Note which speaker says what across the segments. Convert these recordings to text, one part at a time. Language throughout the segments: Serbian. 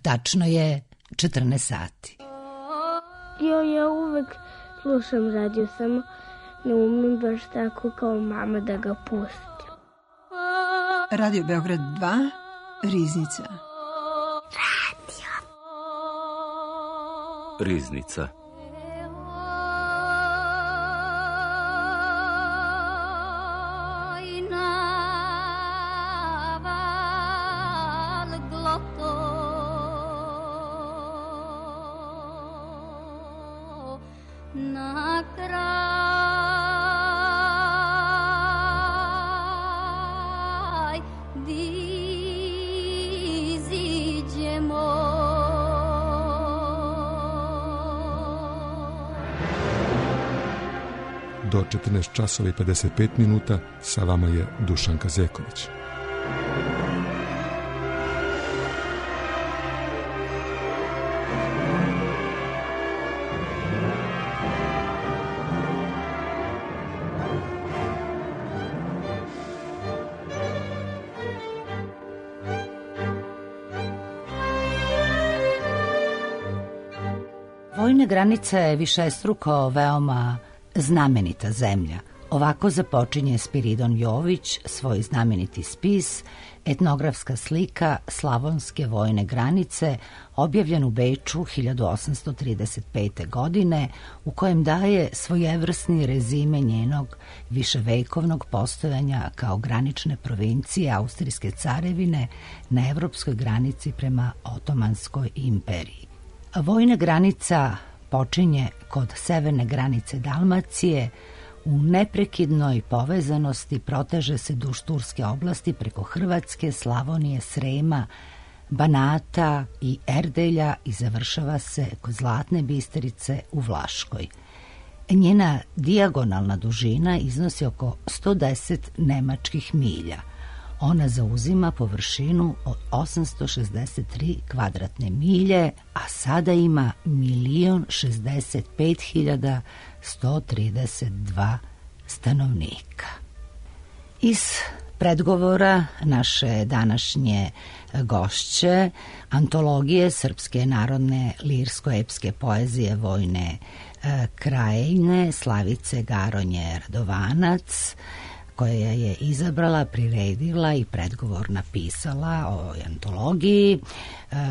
Speaker 1: Tačno je 14 sati.
Speaker 2: Ja uvek slušam radio, samo ne umem baš tako kao mama da ga pustim.
Speaker 3: Radio Beograd 2, Riznica.
Speaker 4: Riznica.
Speaker 5: Do 14 časova i 55 minuta sa vama je Dušanka Zeković.
Speaker 1: Vojne granice je višestruko veoma znamenita zemlja. Ovako započinje Spiridon Jović svoj znameniti spis Etnografska slika Slavonske vojne granice, objavljen u Beču 1835. godine, u kojem daje svojevrsni rezime njenog viševekovnog postojanja kao granične provincije Austrijske carevine na evropskoj granici prema Otomanskoj imperiji. Vojna granica počinje kod severne granice Dalmacije, u neprekidnoj povezanosti proteže se duž Turske oblasti preko Hrvatske, Slavonije, Srema, Banata i Erdelja i završava se kod Zlatne Bisterice u Vlaškoj. Njena dijagonalna dužina iznosi oko 110 nemačkih milja. Ona zauzima površinu od 863 kvadratne milje, a sada ima 1.065.132 stanovnika. Iz predgovora naše današnje gošće, antologije srpske narodne lirsko-epske poezije Vojne krajine Slavice Garonje Radovanac, koja je izabrala, priredila i predgovor napisala o ovoj antologiji.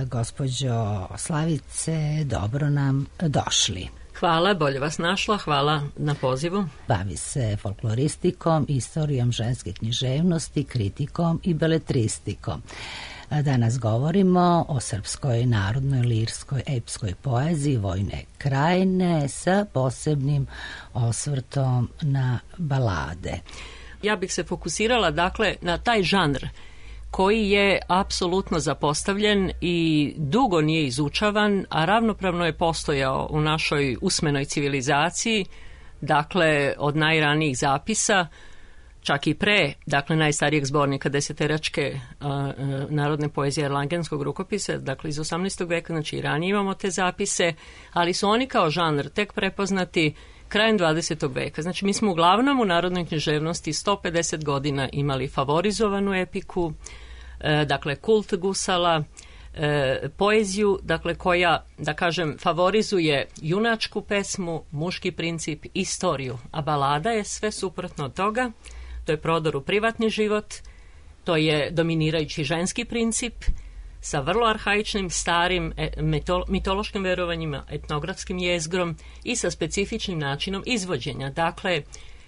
Speaker 1: Gospođo Slavice, dobro nam došli.
Speaker 6: Hvala, bolje vas našla, hvala na pozivu.
Speaker 1: Bavi se folkloristikom, istorijom ženske književnosti, kritikom i beletristikom. Danas govorimo o srpskoj narodnoj lirskoj epskoj poeziji Vojne krajine sa posebnim osvrtom na balade.
Speaker 6: Ja bih se fokusirala dakle na taj žanr koji je apsolutno zapostavljen i dugo nije izučavan, a ravnopravno je postojao u našoj usmenoj civilizaciji, dakle od najranijih zapisa, čak i pre, dakle najstarijeg zbornika deseteračke narodne poezije Erlangenskog rukopisa, dakle iz 18. veka, znači i ranije imamo te zapise, ali su oni kao žanr tek prepoznati krajem 20. veka. Znači mi smo uglavnom u narodnoj književnosti 150 godina imali favorizovanu epiku, dakle kult gusala, poeziju, dakle koja, da kažem, favorizuje junačku pesmu, muški princip, istoriju, a balada je sve suprotno od toga. To je prodor u privatni život, to je dominirajući ženski princip sa vrlo arhaičnim, starim mitološkim verovanjima, etnografskim jezgrom i sa specifičnim načinom izvođenja. Dakle,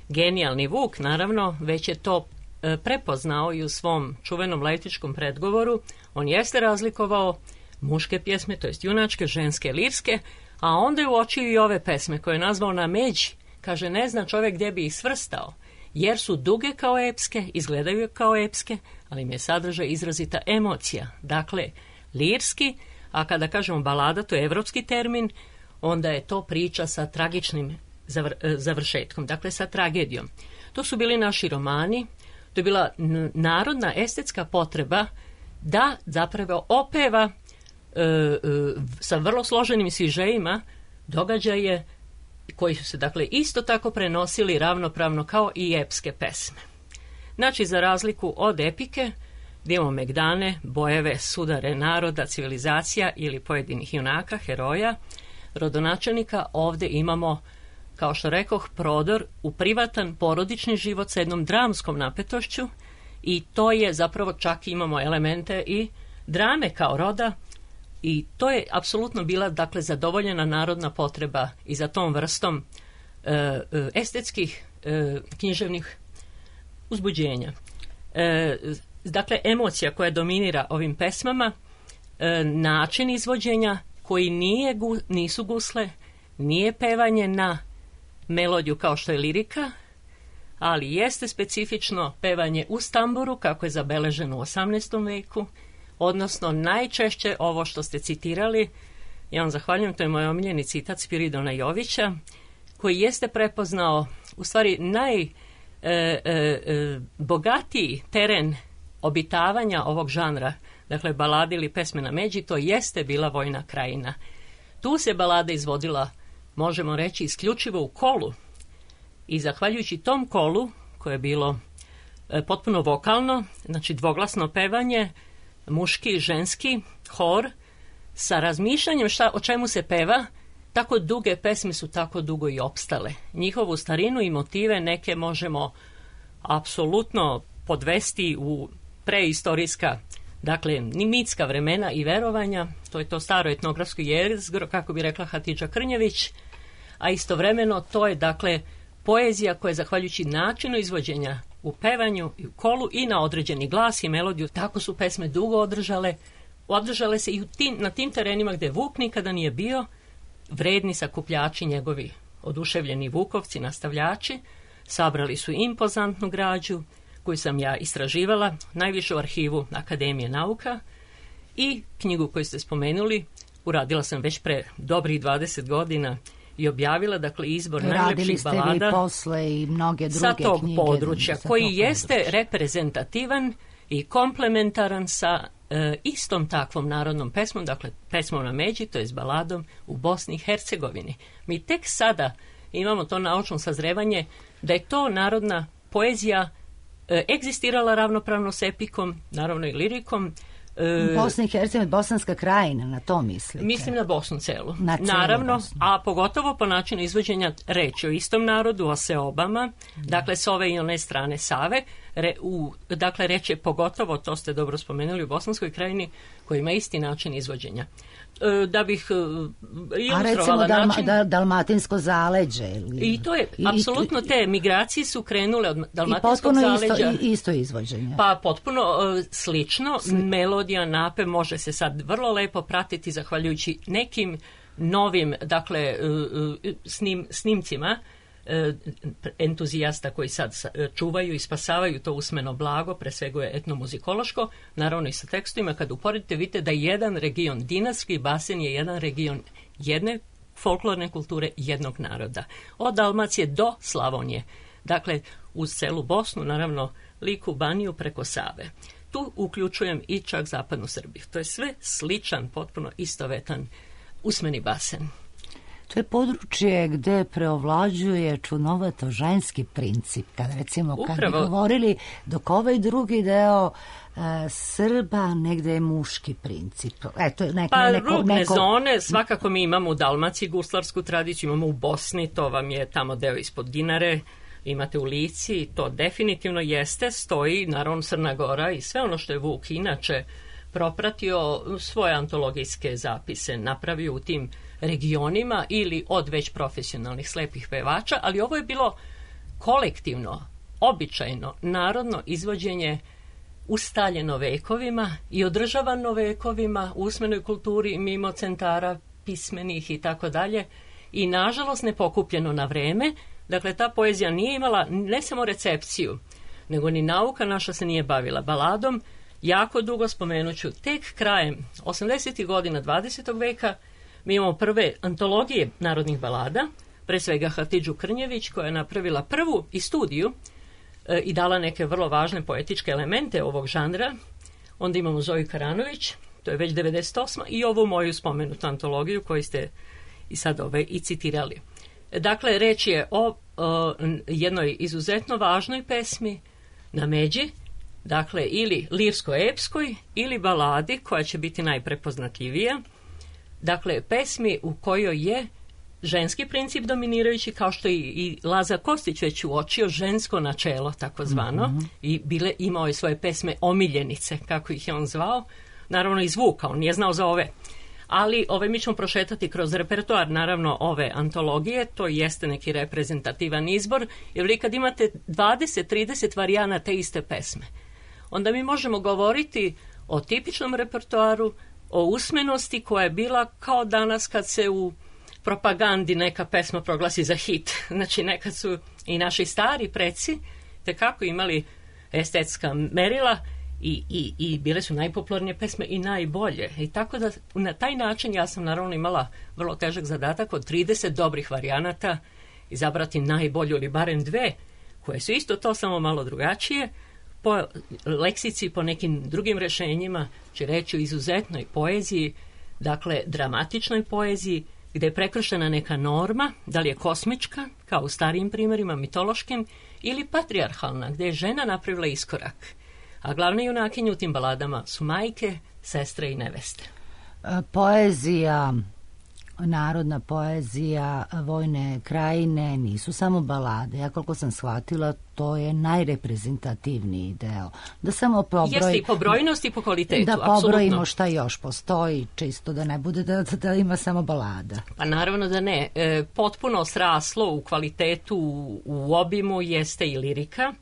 Speaker 6: genijalni Vuk, naravno, već je to prepoznao i u svom čuvenom laitičkom predgovoru. On jeste razlikovao muške pjesme, to jest junačke, ženske, lirske, a onda je uočio i ove pesme koje je nazvao na međi. Kaže, ne zna čovjek gdje bi ih svrstao, jer su duge kao epske, izgledaju kao epske, ali im je sadržaj izrazita emocija. Dakle, lirski, a kada kažemo balada, to je evropski termin, onda je to priča sa tragičnim završetkom, dakle sa tragedijom. To su bili naši romani, to je bila narodna estetska potreba da zapravo opeva sa vrlo složenim sižejima događaje koji su se dakle isto tako prenosili ravnopravno kao i epske pesme. Znači, za razliku od epike, gdje imamo megdane, bojeve, sudare naroda, civilizacija ili pojedinih junaka, heroja, rodonačelnika. Ovdje imamo, kao što rekoh, prodor u privatan porodični život sa jednom dramskom napetošću i to je zapravo, čak imamo elemente i drame kao roda i to je apsolutno bila, dakle, zadovoljena narodna potreba i za tom vrstom estetskih književnih uzbuđenja. Dakle, emocija koja dominira ovim pesmama, način izvođenja koji nisu gusle, nije pevanje na melodiju kao što je lirika, ali jeste specifično pevanje uz tamburu, kako je zabeleženo u 18. veku, odnosno najčešće ovo što ste citirali, ja vam zahvaljujem, to je moj omiljeni citat Spiridona Jovića, koji jeste prepoznao u stvari najbogatiji teren obitavanja ovog žanra, dakle balade ili pesme na međi, to jeste bila Vojna krajina. Tu se balada izvodila, možemo reći, isključivo u kolu i zahvaljujući tom kolu, koje je bilo potpuno vokalno, znači dvoglasno pevanje, muški i ženski hor, sa razmišljanjem o čemu se peva, tako duge pesme su tako dugo i opstale. Njihovu starinu i motive neke možemo apsolutno podvesti u preistorijska, dakle, mitska vremena i verovanja, to je to staro etnografsko jezgro, kako bi rekla Hatidža Krnjević, a istovremeno to je, dakle, poezija koja je, zahvaljujući načinu izvođenja u pevanju i u kolu i na određeni glas i melodiju, tako su pesme dugo održale se i na tim terenima gdje Vuk nikada nije bio, vredni sakupljači njegovi, oduševljeni vukovci, nastavljači, sabrali su impozantnu građu koju sam ja istraživala, najviše u arhivu Akademije nauka, i knjigu koju ste spomenuli uradila sam već pre dobrih 20 godina i objavila, dakle, izbor najlepših balada.
Speaker 1: Radili ste vi posle i mnoge druge knjige.
Speaker 6: Sa tog područja, koji jeste reprezentativan i komplementaran sa istom takvom narodnom pesmom, dakle pesmom na međi, to je s baladom u Bosni i Hercegovini. Mi tek sada imamo to naučno sazrevanje da je to narodna poezija egzistirala ravnopravno s epikom, naravno i lirikom.
Speaker 1: Bosna i Hercegovina, Bosanska krajina, na to mislite? Mislim
Speaker 6: na Bosnu celu.
Speaker 1: Naravno,
Speaker 6: Bosnu. A pogotovo po načinu izvođenja reči o istom narodu, o seobama, dakle s ove i one strane Save, dakle reč je pogotovo, to ste dobro spomenuli, u Bosanskoj krajini, koji ima isti način izvođenja. Da bih ilustrovala način...
Speaker 1: A recimo Dalmatinsko zaleđe.
Speaker 6: I to je, apsolutno te migracije su krenule od Dalmatinskog zaleđa.
Speaker 1: I potpuno isto izvođenje.
Speaker 6: Pa potpuno slično. Melodija, napev može se sad vrlo lepo pratiti zahvaljujući nekim novim, dakle, snimcima entuzijasta koji sad čuvaju i spasavaju to usmeno blago, pre svega je etnomuzikološko, naravno i sa tekstovima. Kad uporedite, vidite da jedan region, Dinarski basen je jedan region jedne folklorne kulture jednog naroda. Od Dalmacije do Slavonije. Dakle, uz celu Bosnu, naravno Liku, Baniju preko Save. Tu uključujem i čak zapadnu Srbiju. To je sve sličan, potpuno istovetan usmeni basen.
Speaker 1: To je područje gde preovlađuje čudnovato ženski princip. Kad bi govorili, dok ovaj drugi deo Srba, negde je muški princip.
Speaker 6: Rubne zone, svakako mi imamo u Dalmaciji guslarsku tradiciju, imamo u Bosni, to vam je tamo deo ispod Dinare, imate u Lici, to definitivno jeste, stoji, naravno Crna Gora i sve ono što je Vuk inače propratio, svoje antologijske zapise napravio u tim regionima ili od već profesionalnih slepih pevača, ali ovo je bilo kolektivno, običajno, narodno izvođenje ustaljeno vekovima i održavano vekovima u usmenoj kulturi mimo centara pismenih i tako dalje, i nažalost nepokupljeno na vreme. Dakle, ta poezija nije imala ne samo recepciju, nego ni nauka naša se nije bavila baladom. Jako dugo, spomenuću, tek krajem 80. godina 20. veka mi imamo prve antologije narodnih balada, pre svega Hatidžu Krnjević, koja je napravila prvu i studiju i dala neke vrlo važne poetičke elemente ovog žanra. Onda imamo Zoju Karanović, to je već 98. i ovu moju spomenutu antologiju koju ste i sad i citirali. Dakle, reč je o jednoj izuzetno važnoj pesmi na međi, dakle ili lirsko-epskoj ili baladi koja će biti najprepoznatljivija, dakle pesmi u kojoj je ženski princip dominirajući, kao što i Lazar Kostić već uočio, žensko načelo takozvano, i imao je svoje pesme omiljenice, kako ih je on zvao, naravno i zvuka, on nije znao za ove. Ali mi ćemo prošetati kroz repertoar, naravno, ove antologije, to jeste neki reprezentativan izbor, jer vi kad imate 20-30 varijana te iste pesme, onda mi možemo govoriti o tipičnom repertoaru, o usmenosti koja je bila kao danas kad se u propagandi neka pesma proglasi za hit. Znači, nekad su i naši stari preci tekako imali estetska merila i bile su najpopularnije pesme i najbolje. I tako da na taj način ja sam naravno imala vrlo težak zadatak od 30 dobrih varijanata izabrati najbolju ili barem dve, koje su isto to samo malo drugačije, po leksici, po nekim drugim rješenjima, će reći o izuzetnoj poeziji, dakle dramatičnoj poeziji, gdje je prekršena neka norma, da li je kosmička, kao u starijim primjerima, mitološkim, ili patrijarhalna, gdje je žena napravila iskorak. A glavne junakinje u tim baladama su majke, sestre i neveste.
Speaker 1: Poezija, narodna poezija, vojne krajine nisu samo balade. Ja koliko sam shvatila, to je najreprezentativniji deo. Da samo
Speaker 6: jeste i po brojnosti i po kvalitetu.
Speaker 1: Da pobrojimo šta još postoji, čisto da ne bude da ima samo balada.
Speaker 6: Pa naravno da ne. Potpuno sraslo u kvalitetu, u obimu jeste i lirika.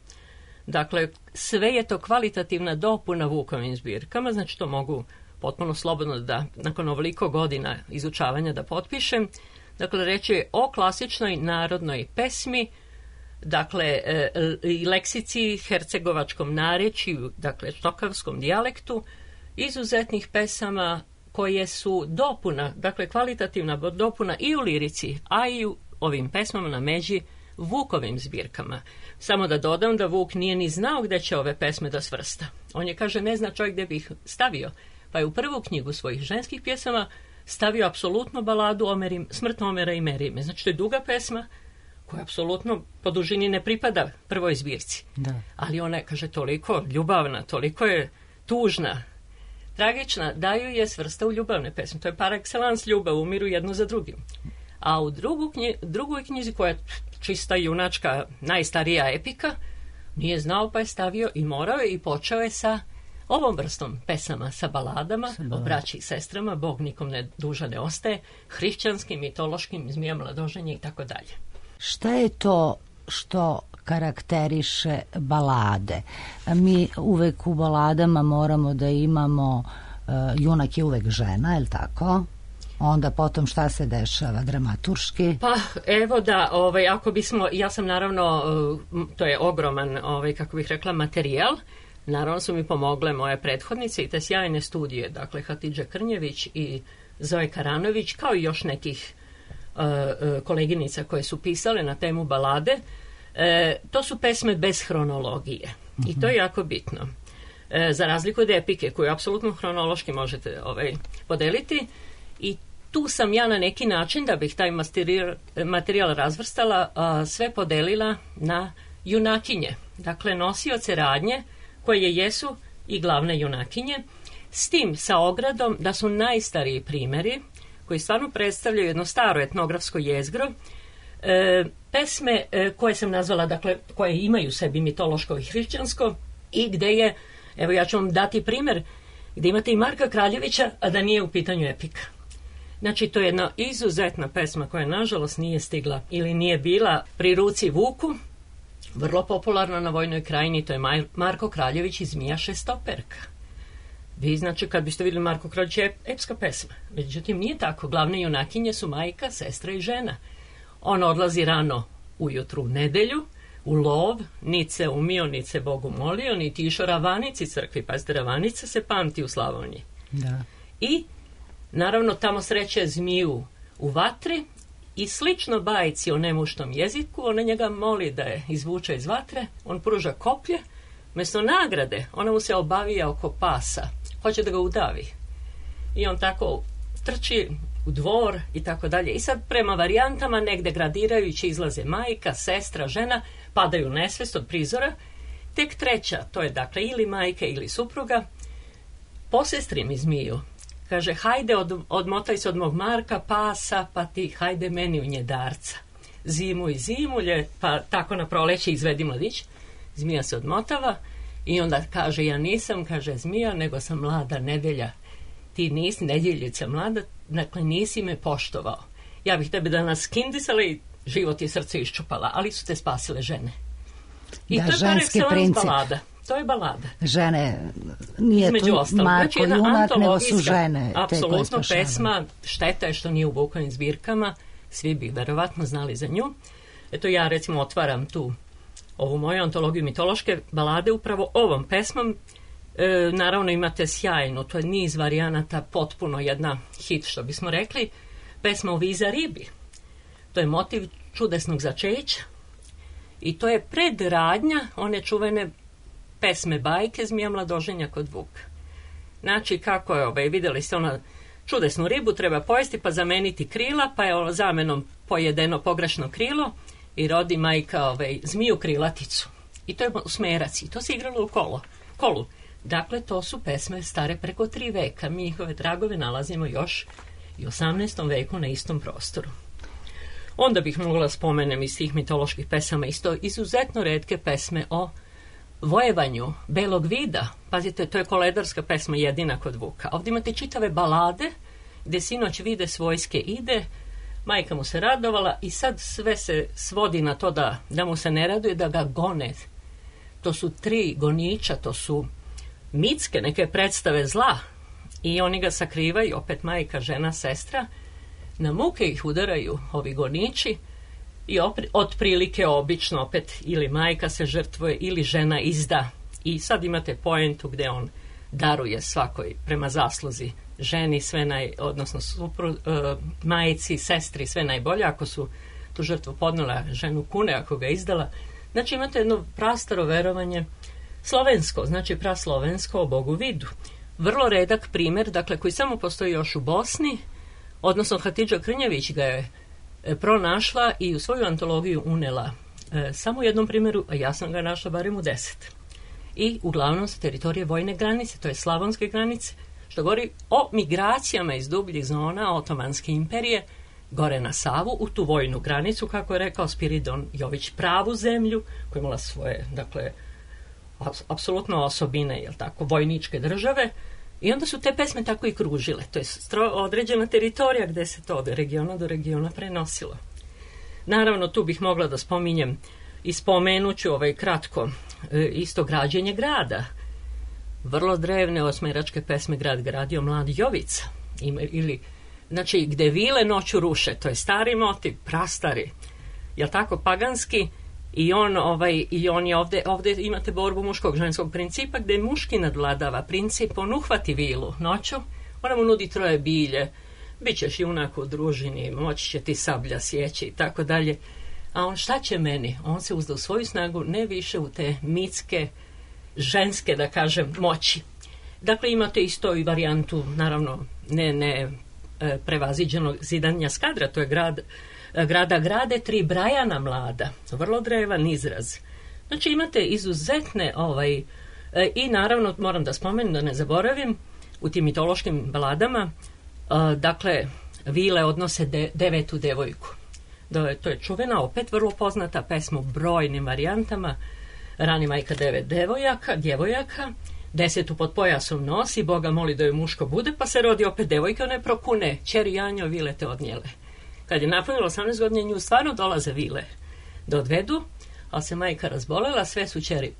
Speaker 6: Dakle, sve je to kvalitativna dopuna Vukovim zbirkama, znači to mogu potpuno slobodno da, nakon ovoliko godina izučavanja, da potpišem. Dakle, reći je o klasičnoj narodnoj pesmi, dakle, i leksici, hercegovačkom narječju, dakle, štokavskom dijalektu, izuzetnih pesama koje su dopuna, dakle, kvalitativna dopuna i u lirici, a i u ovim pesmama na međi Vukovim zbirkama. Samo da dodam da Vuk nije ni znao gdje će ove pesme da svrsta. On je, kaže, ne zna čovjek gdje bi ih stavio. Pa je u prvu knjigu svojih ženskih pjesama stavio apsolutno baladu Smrt Omera i Merime. Znači, to je duga pesma koja apsolutno po dužini ne pripada prvoj zbirci. Da. Ali ona je, kaže, toliko ljubavna, toliko je tužna, tragična, da ju je svrsta u ljubavne pesme. To je par excellence ljubav, umiru jedno za drugim. A u drugoj knjizi, koja je čista junačka, najstarija epika, nije znao, pa je stavio i morao je i počeo je sa ovom vrstom pesama, sa baladama o braći i sestrama, Bog nikom ne duža ne ostaje, hrišćanskim, mitološkim, Zmija mladoženje i tako dalje.
Speaker 1: Šta je to što karakteriše balade? Mi uvek u baladama moramo da imamo, junak je uvek žena, je li tako? Onda potom šta se dešava dramaturški?
Speaker 6: Pa evo da, ako bismo, ja sam naravno, to je ogroman, kako bih rekla, materijal. Naravno su mi pomogle moje prethodnice i te sjajne studije, dakle Hatidža Krnjević i Zoe Karanović, kao i još nekih koleginica koje su pisale na temu balade. To su pesme bez hronologije i to je jako bitno. Za razliku od epike, koju apsolutno hronološki možete podeliti, i tu sam ja na neki način, da bih taj materijal razvrstala, sve podelila na junakinje, dakle nosioce radnje, koje jesu i glavne junakinje, s tim sa ogradom da su najstariji primjeri, koji stvarno predstavljaju jedno staro etnografsko jezgro, pesme koje sam nazvala, dakle, koje imaju u sebi mitološko i hrišćansko, i gde je, evo ja ću vam dati primjer, gdje imate i Marka Kraljevića, a da nije u pitanju epika. Znači, to je jedna izuzetna pesma koja, nažalost, nije stigla ili nije bila pri ruci Vuku, vrlo popularna na Vojnoj krajini, to je Marko Kraljević i Zmija šestoperka. Vi, znači, kad biste vidjeli Marko Kraljević, je epska pesma. Međutim, nije tako. Glavne junakinje su majka, sestra i žena. On odlazi rano ujutru u nedelju, u lov, nice umio, nice Bogu molio, niti išao ravanici crkvi. Pazite, ravanica se pamti u Slavoniji. Da. I, naravno, tamo sreće Zmiju u vatri, i slično bajci o nemuštom jeziku, ona njega moli da je izvuče iz vatre, on pruža koplje, umjesto nagrade, ona mu se obavija oko pasa, hoće da ga udavi. I on tako trči u dvor i tako dalje. I sad prema varijantama, negde gradirajući, izlaze majka, sestra, žena, padaju nesvest od prizora, Tek treća, to je dakle ili majka ili supruga, posestri mi zmiju. Kaže, hajde odmotaj se od mog Marka, pasa, pa ti hajde meni u njedarca. Zimu i zimu, pa tako na proleće izvedi mladić. Zmija se odmotava i onda kaže, ja nisam, kaže zmija, nego sam mlada Nedelja. Ti nisi nedjeljica mlada, dakle nisi me poštovao. Ja bih tebe danas skindisala i život i srce iščupala, ali su te spasile žene. I
Speaker 1: da,
Speaker 6: to je
Speaker 1: ženski princip.
Speaker 6: balada. To je balada.
Speaker 1: Žene, nije tu Marko junak, nego su žene.
Speaker 6: Apsolutno pesma, šteta je što nije u Vukovim zbirkama, svi bi verovatno znali za nju. Eto ja recimo otvaram tu ovu moju antologiju mitološke balade upravo ovom pesmom. Naravno imate sjajnu, to je niz varijanata, potpuno jedna hit što bismo rekli, pesma o Viza ribi. To je motiv čudesnog začeća i to je predradnja one čuvene pesme bajke Zmija mladoženja kod Vuka. Znači kako je, vidjeli ste ona čudesnu ribu, treba pojesti pa zameniti krila, pa je zamenom pojedeno pogrešno krilo i rodi majka zmiju krilaticu. I to je smerac i to se igralo u kolu. Dakle, to su pesme stare preko 3 veka. Mi njihove tragove nalazimo još i u 18. veku na istom prostoru. Onda bih mogla spomenem iz tih mitoloških pesama isto izuzetno retke pesme o vojevanju belog vida. Pazite, to je koledarska pesma jedina kod Vuka. Ovdje imate čitave balade gdje sinoć vide s vojske ide, majka mu se radovala i sad sve se svodi na to da mu se ne raduje, da ga gone. To su 3 goniča, to su mitske neke predstave zla i oni ga sakrivaju, opet majka, žena, sestra, na muke ih udaraju ovi goniči i otprilike obično opet ili majka se žrtvuje ili žena izda i sad imate poentu gdje on daruje svakoj prema zasluzi ženi sve odnosno majici, sestri sve najbolje ako su tu žrtvu podnela, ženu kune ako ga izdala. Znači imate jedno prastaro verovanje slovensko, znači praslovensko o Bogu vidu. Vrlo redak primjer, dakle koji samo postoji još u Bosni, odnosno Hatidža Krnjević ga je pronašla i u svoju antologiju unela samo u jednom primjeru, a ja sam ga našla barem u 10. I uglavnom sa teritorije vojne granice, to je slavonske granice, što govori o migracijama iz dubljih zona Otomanske imperije gore na Savu, u tu vojnu granicu, kako je rekao Spiridon Jović, pravu zemlju, koja imala svoje, dakle, apsolutno osobine, jel tako, vojničke države, i onda su te pesme tako i kružile. To je određena teritorija gdje se to od regiona do regiona prenosilo. Naravno, tu bih mogla da spominjem i spomenuću kratko isto građenje grada. Vrlo drevne osmeračke pesme Grad gradio mlad Jovica. Ili, znači, gde vile noću ruše, to je stari motiv, prastari, jel tako, paganski, i on je ovdje imate borbu muškog ženskog principa gdje muški nadvladava princip, on uhvati vilu noću, ona mu nudi 3 bilje, bit ćeš junak u družini, moći će ti sablja sjeći i tako dalje, a on šta će meni? On se uzda u svoju snagu, ne više u te mitske, ženske, da kažem, moći. Dakle, imate isto i varijantu, naravno, ne prevaziđenog zidanja Skadra, to je grada grade 3 Brajana mlada, vrlo drevan izraz. Znači imate izuzetne i naravno moram da spomenem, da ne zaboravim, u tim mitološkim baladama dakle vile odnose 9. devojku. To je čuvena, opet vrlo poznata pesma u brojnim varijantama. Rani majka 9 djevojaka, 10 pod pojasom nosi, Boga moli da joj muško bude, pa se rodi opet devojka, one prokune, ćeri Janjo, vile te odnijele. Kad je napunilo 18 godina, nju stvarno dolaze vile da odvedu, ali se majka razbolela, sve su ćeri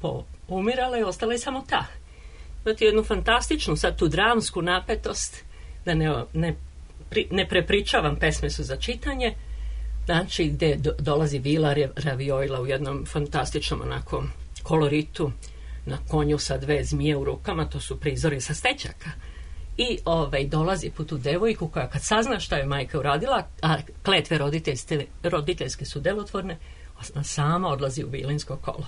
Speaker 6: umirale i ostala je samo ta. Imate jednu fantastičnu, sad tu dramsku napetost, da ne prepričavam, pesme su za čitanje, znači gdje dolazi vila Ravioila u jednom fantastičnom onako koloritu, na konju sa 2 zmije u rukama, to su prizori sa stečaka. I dolazi po tu devojku koja kad sazna šta je majka uradila, a kletve roditeljske su delotvorne, ona sama odlazi u vilinsko kolo.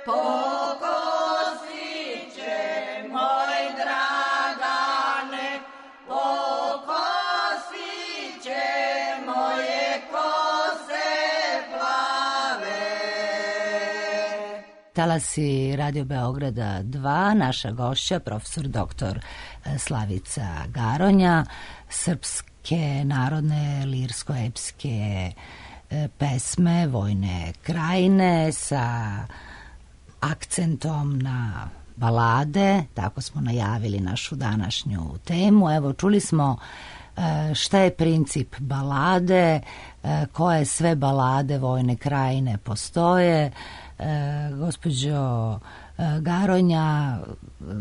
Speaker 1: Talasi Radio Beograda 2, naša gošća, profesor dr. Slavica Garonja, srpske narodne lirsko-epske pesme Vojne krajine sa akcentom na balade, tako smo najavili našu današnju temu. Evo, čuli smo šta je princip balade, koje sve balade Vojne krajine postoje. Gospođo Garonja,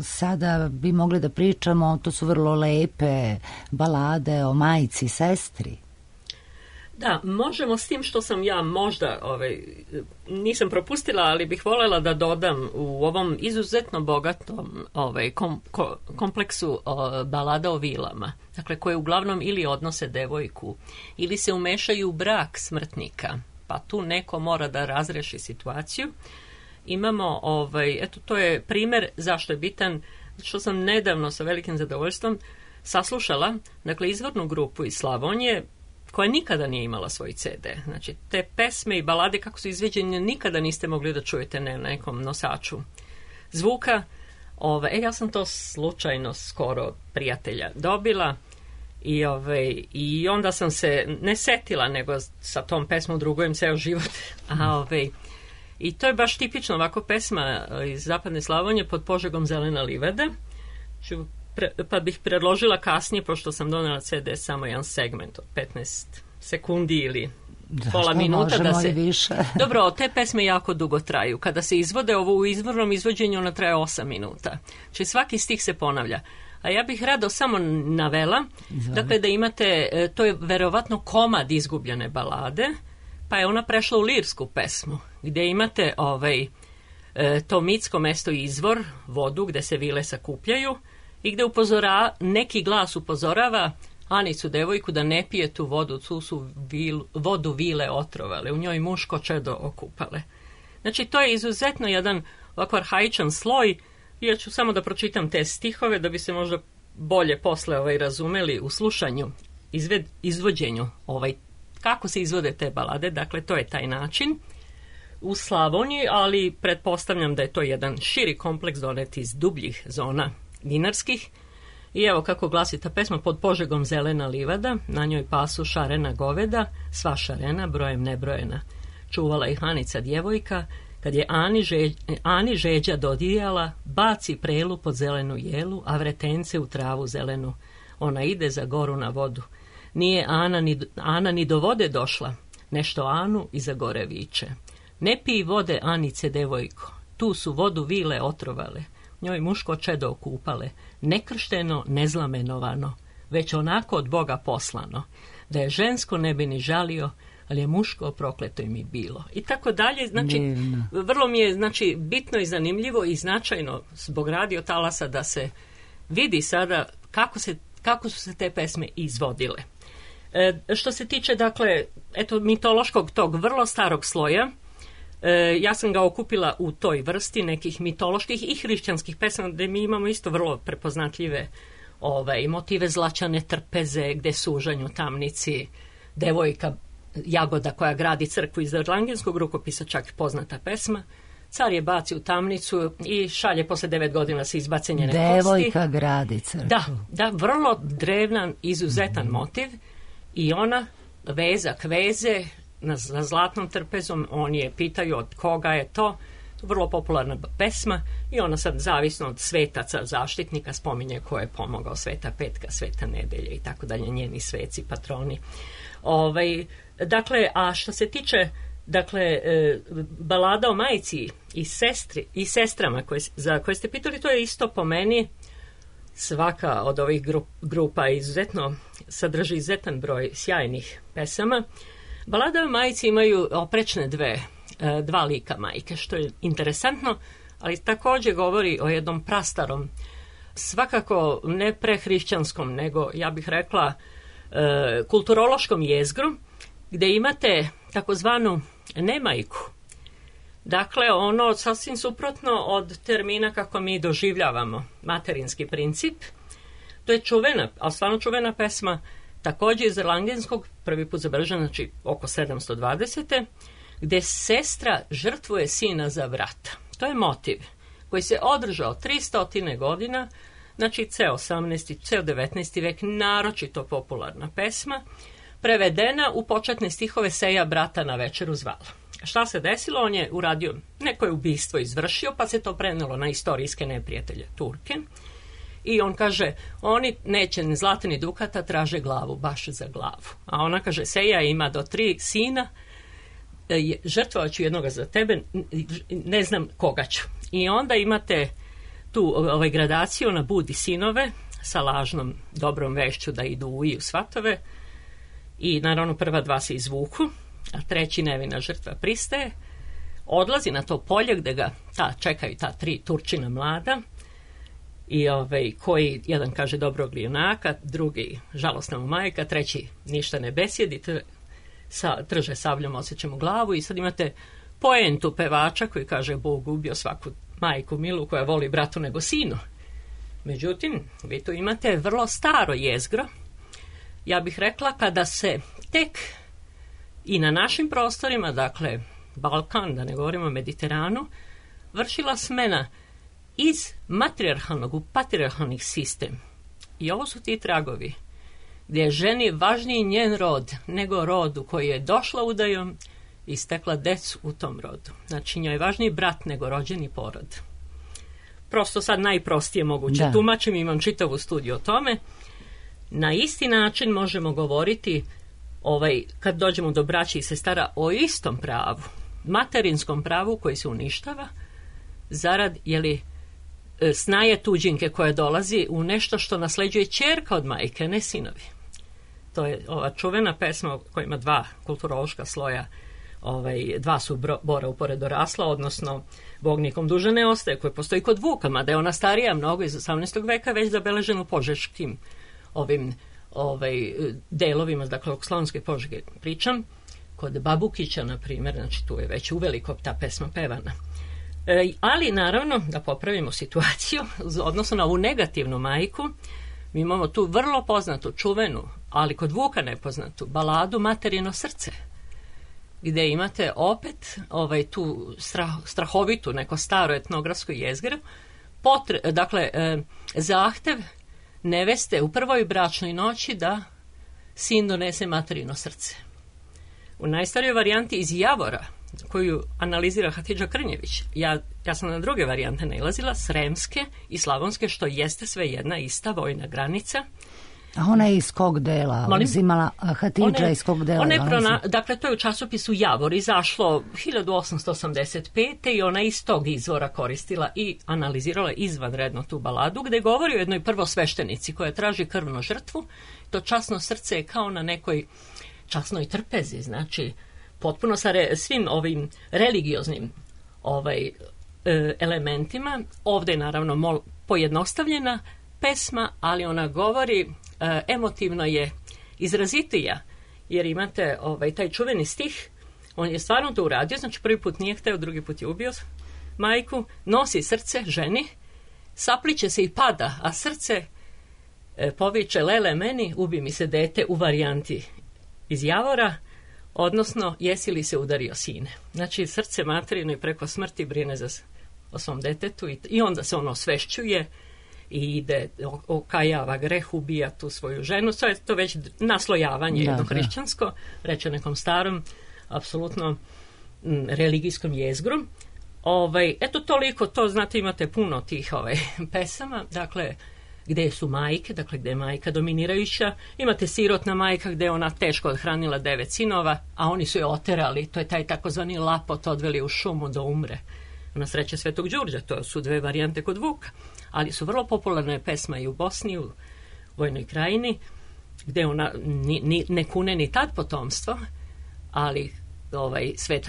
Speaker 1: sada bi mogli da pričamo, to su vrlo lepe balade o majci i sestri.
Speaker 6: Da, možemo, s tim što sam ja možda nisam propustila, ali bih voljela da dodam u ovom izuzetno bogatom kompleksu balada o vilama, dakle koje uglavnom ili odnose devojku ili se umešaju u brak smrtnika, pa tu neko mora da razreši situaciju. Imamo, eto, to je primjer zašto je bitan, što sam nedavno sa velikim zadovoljstvom saslušala, dakle, izvornu grupu iz Slavonije, koja nikada nije imala svoj CD. Znači, te pesme i balade kako su izveđene nikada niste mogli da čujete na nekom nosaču zvuka. Ja sam to slučajno skoro prijatelja dobila i onda sam se ne setila, nego sa tom pesmom drugujem ceo život. I to je baš tipično ovako pesma iz zapadne Slavonije, Pod Požegom zelena livada. Pa bih predložila kasnije, pošto sam donela CD, samo jedan segment od 15 sekundi ili pola minuta. Da se...
Speaker 1: više.
Speaker 6: Dobro, te pesme jako dugo traju. Kada se izvode ovo u izvornom izvođenju, ona traje 8 minuta. Znači svaki stih se ponavlja. A ja bih rado samo navela, dakle, da imate, to je verovatno komad izgubljene balade, pa je ona prešla u lirsku pesmu, gdje imate to mitsko mesto izvor, vodu gdje se vile sakupljaju, i gdje neki glas upozorava Anicu, devojku, da ne pije tu vodu, tu su vodu vile otrovale, u njoj muško čedo okupale. Znači, to je izuzetno jedan ovako arhaičan sloj. Ja ću samo da pročitam te stihove, da bi se možda bolje posle razumeli u slušanju, izvođenju, kako se izvode te balade. Dakle, to je taj način u Slavoniji, ali pretpostavljam da je to jedan širi kompleks donet iz dubljih zona dinarskih. I evo kako glasi ta pesma: Pod Požegom zelena livada, na njoj pasu šarena goveda, sva šarena, brojem nebrojena. Čuvala ih Anica djevojka, kad je Ani žeđa dodijala, baci prelu pod zelenu jelu, a vretence u travu zelenu. Ona ide za goru na vodu. Nije Ana ni do vode došla, nešto Anu iza gore viče. Ne pij vode, Anice, devojko, tu su vodu vile otrovale, njoj muško čedo okupale, nekršteno, nezlamenovano, već onako od Boga poslano, da je žensko ne bi ni žalio, ali je muško prokleto im i bilo. I tako dalje, znači, vrlo mi je bitno i zanimljivo i značajno zbog radio talasa da se vidi sada kako su se te pesme izvodile. Što se tiče, dakle, mitološkog tog vrlo starog sloja, ja sam ga okupila u toj vrsti nekih mitoloških i hrišćanskih pesama, gdje mi imamo isto vrlo prepoznatljive motive zlačane trpeze, gdje sužanju tamnici, devojka Jagoda koja gradi crkvu, iz Erlangenskog rukopisa čak poznata pesma. Car je baci u tamnicu i šalje posle 9 godina sa izbacenjene kosti.
Speaker 1: Devojka gradi crkvu.
Speaker 6: Da, vrlo drevnan, izuzetan motiv, i ona vezak veze za zlatnom trpezom, oni je pitaju od koga je to. Vrlo popularna pesma, i ona sad zavisno od svetaca, zaštitnika, spominje ko je pomogao: Sveta Petka, Sveta Nedelja i tako dalje, njeni sveci, patroni. Dakle, a što se tiče, dakle, balada o majci i sestrama za koje ste pitali, to je isto po meni, svaka od ovih grupa sadrži izuzetan broj sjajnih pesama. Balada o majci imaju oprečne dva lika majke, što je interesantno, ali također govori o jednom prastarom, svakako ne prehrišćanskom, nego, ja bih rekla, kulturološkom jezgru, gdje imate takozvanu nemajku, Dakle, ono sasvim suprotno od termina kako mi doživljavamo materinski princip. To je čuvena, ali stvarno čuvena pesma, također iz Erlangenskog, prvi put zabeležena, znači oko 720. gdje sestra žrtvuje sina za brata. To je motiv koji se održao 300 godina, znači ceo 18. ceo 19. vek, naročito popularna pesma, prevedena u početne stihove Seja brata na večeru zvala. Šta se desilo? On je uradio, neko je ubistvo izvršio, pa se to prenelo na istorijske neprijatelje, Turke. I on kaže, oni neće ni zlata ni dukata, traže glavu, baš za glavu. A ona kaže, Seja ima do 3 sina, žrtvovat ću jednoga za tebe, ne znam koga ću. I onda imate tu gradaciju, ona budi sinove sa lažnom dobrom vešću da idu u svatove i naravno prva 2 se izvuku, a 3. nevina žrtva pristaje, odlazi na to polje gde ga čekaju ta 3 Turčina mlada i koji jedan kaže dobrog junaka, drugi žalostna mu majka, 3. ništa ne besjedi, trže sabljom, osjeća mu glavu i sad imate poentu pevača koji kaže Bog ubio svaku majku milu koja voli bratu nego sinu. Međutim, vi tu imate vrlo staro jezgro. Ja bih rekla kada se tek i na našim prostorima, dakle Balkan, da ne govorimo o Mediteranu, vršila smena iz matrijarhalnog u patrijarhalni sistem. I ovo su ti tragovi gdje je ženi važniji njen rod nego rodu koji je došla udajom i stekla decu u tom rodu. Znači njoj je važniji brat nego rođeni porod. Prosto sad najprostije moguće tumačim, imam čitavu studiju o tome. Na isti način možemo govoriti kad dođemo do braće i sestara o istom pravu, materinskom pravu koji se uništava zarad snaje tuđinke koja dolazi u nešto što nasleđuje ćerka od majke, ne sinovi. To je ova čuvena pesma koja ima 2 kulturološka sloja, 2 su bora upored dorasla, odnosno Bog nikom duže ne ostaje, koji postoji kod Vuka, mada je ona starija mnogo iz 18. veka, već zabeležena u požeškim delovima, dakle o Slavonske Požege pričam, kod Babukića, na primjer, znači tu je već uveliko ta pesma pevana. Ali, naravno, da popravimo situaciju, odnosno na ovu negativnu majku, mi imamo tu vrlo poznatu, čuvenu, ali kod Vuka nepoznatu, baladu Materino srce, gdje imate opet tu strahovitu, neko staro etnografsko jezgro, dakle, zahtev neveste u prvoj bračnoj noći da sin donese materino srce. U najstarijoj varijanti iz Javora, koju analizira Hatidža Krnjević, ja sam na druge varijante nailazila, sremske i slavonske, što jeste sve jedna ista vojna granica.
Speaker 1: A ona je iz kog dela uzimala, Hatidža iz kog dela?
Speaker 6: Dakle, to je u časopisu Javor izašlo 1885. i ona iz tog izvora koristila i analizirala izvanredno tu baladu, gde govori o jednoj prvosveštenici koja traži krvnu žrtvu. To časno srce je kao na nekoj časnoj trpezi, znači potpuno sa svim ovim religioznim elementima. Ovdje je naravno pojednostavljena pesma, ali ona govori, emotivno je izrazitija, jer imate taj čuveni stih, on je stvarno to uradio, znači prvi put nije hteo, drugi put je ubio majku, nosi srce ženi, sapliće se i pada, a srce poviče lele meni, ubi mi se dete, u varijanti iz Javora, odnosno jesi li se udario sine. Znači srce materino i preko smrti brine o svom detetu i onda se ono osvešćuje i ide, okajava greh, ubija tu svoju ženu. To je to već naslojavanje jedno hrišćansko, reče nekom starom, apsolutno religijskom jezgru. Eto toliko, to znate, imate puno tih pesama, dakle, gde su majke, dakle gde je majka dominirajuća, imate sirotna majka gde je ona teško odhranila 9 sinova, a oni su je oterali, to je taj takozvani lapot, odveli u šumu da umre. Na sreće Svetog Đurđa, to su 2 varijante kod Vuka, ali su vrlo popularne pesma i u Bosni, u Vojnoj krajini, gde ona ne kune ni tad potomstvo, ali